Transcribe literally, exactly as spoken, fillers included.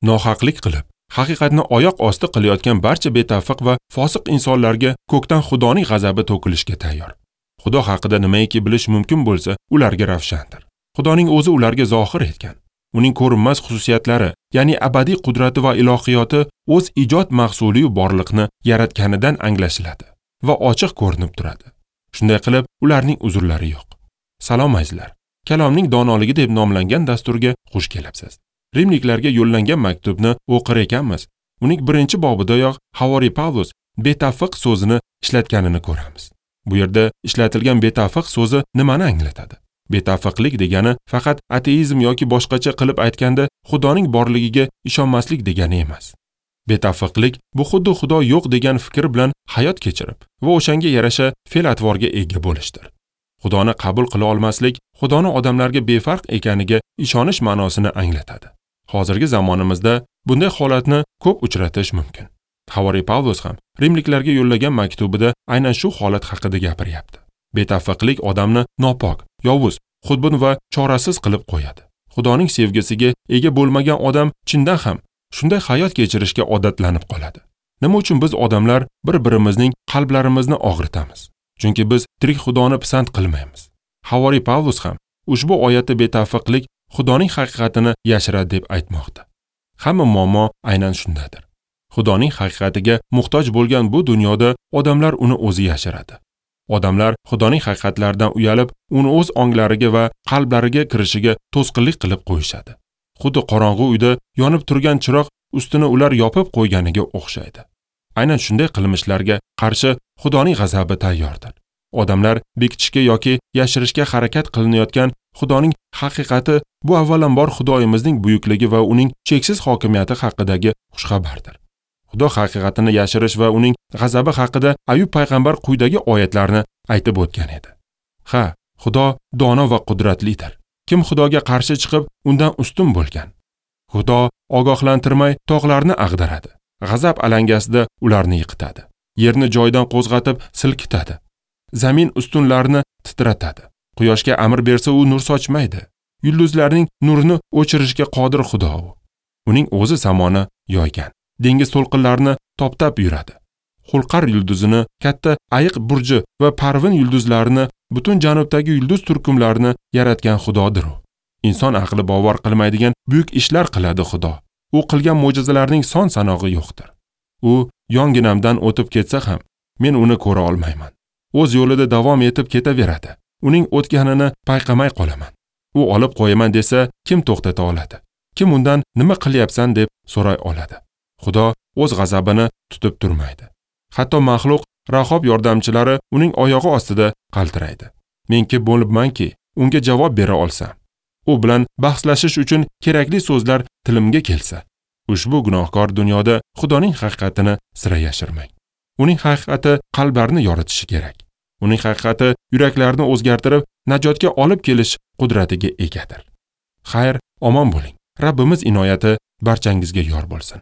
Nohaqlik qilib, haqiqatni oyoq osti qilayotgan barcha betavfiq va fosiq insonlarga ko'kdan Xudoning g'azabi to'kilishga tayyor. Xudo haqida nimaiki bilish mumkin bo'lsa, ularga ravshandir. Xudoning o'zi ularga zohir etgan. Uning ko'rinmas xususiyatlari, ya'ni abadiy qudrati va ilohiyoti o'z ijod mahsuliyu borliqni yaratganidan anglashiladi va ochiq ko'rinib turadi. Shunday qilib, ularning uzrlari yo'q. Salom azizlar. Kalomning donoligi deb nomlangan dasturga xush kelibsiz. Rimliklarga yo'llangan maktubni o'qir ekanmiz. Uning birinchi bobidayoq Havoriy Pavlus betavfiq so'zini ishlatganini ko'ramiz. Bu yerda ishlatilgan betavfiq so'zi nimani anglatadi? Betavfiqlik degani faqat ateizm yoki boshqacha qilib aytganda Xudoning borligiga ishonmaslik degani emas. Betavfiqlik bu xuddi Xudo yo'q degan fikr bilan hayot kechirib va o'shanga yarasha fe'l-atvorga ega bo'lishdir. Xudoni qabul qila olmaslik, Xudoni odamlarga befarq ekaniga ishonish ma'nosini anglatadi. Hozirgi zamonimizda bunday holatni ko'p uchratish mumkin. Havoriy Pavlus ham rimliklarga yo'llagan maktubida aynan shu holat haqida gapiryapti. Betavfiqlik odamni nopok, yovuz, xudbin va chorasiz qilib qo'yadi. Xudoning sevgisiga ega bo'lmagan odam chindan ham shunday hayot kechirishga odatlanib qoladi. Nima uchun biz odamlar bir-birimizning qalblarimizni og'ritamiz? Chunki biz tirik Xudoni pisand qilmaymiz. Havoriy Pavlus ham ushbu oyatda betavfiqlik Xudoning haqiqatini yashiradi deb aytmoqda. Hamma muammo aynan shundadir. Xudoning haqiqatiga muhtoj bo'lgan bu dunyoda odamlar uni o'zi yashiradi. Odamlar Xudoning haqiqatlaridan uyalib, uni o'z onglariga va qalblariga kirishiga to'sqinlik qilib qo'yishadi. Xuddi qorong'u uyda yonib turgan chiroq ustini ular yopib qo'yganiga o'xshaydi. Aynan shunday qilmishlarga qarshi Xudoning g'azabi tayyordir. Odamlar bekitishga yoki yashirishga harakat qilinayotgan Xudoning haqiqati bu avvalambor Xudoyimizning buyukligi va uning cheksiz hokimiyati haqidagi xushxabardir. Xudo haqiqatini yashirish va uning g'azabi haqida Ayub payg'ambar quyidagi oyatlarni aytib o'tgan edi. Ha, Xudo dono va qudratlidir. Kim Xudoga qarshi chiqib, undan ustun bo'lgan? Xudo ogohlantirmay tog'larni ag'daradi. G'azab alangasida ularni yiqitadi. Yerni joyidan qo'zg'atib silkitadi. Zamin ustunlarini titratadi. Quyoshga amr bersa u nur sochmaydi. Yulduzlarning nurini o'chirishga qodir Xudo u. Uning o'zi samoni yoygan. Dengiz to'lqinlarini toptab yuradi. Xulqar yulduzini, katta ayiq burji va Parvin yulduzlarini, butun janubdagi yulduz turkumlarini yaratgan Xudodir u. Inson aqli bovar qilmaydigan buyuk ishlar qiladi Xudo. U qilgan mo'jizalarning son sanog'i yo'qdir. U yonginamdan o'tib ketsa ham men uni ko'ra olmayman. O'z yo'lida davom etib ketaveradi. Uning o'tganini payqamay qolaman. U olib qo'yaman desa kim to'xtata oladi? Kim undan nima qilyapsan deb so'ray oladi? Xudo o'z g'azabini tutib turmaydi. Hatto maxluq Rahob yordamchilari uning oyog'i ostida qaltiraydi. Men kim bo'libmanki, unga javob bera olsam, u bilan bahslashish uchun kerakli so'zlar tilimga kelsa, ushbu gunohkor dunyoda Xudoning haqiqatini sira yashirmang. Uning haqiqati qalblarni yoritishi kerak. Uning haqiqati yuraklarni o'zgartirib, najotga olib kelish qudratiga egadir. Xayr, omon bo'ling. Rabbimiz inoyati barchangizga yor bo'lsin.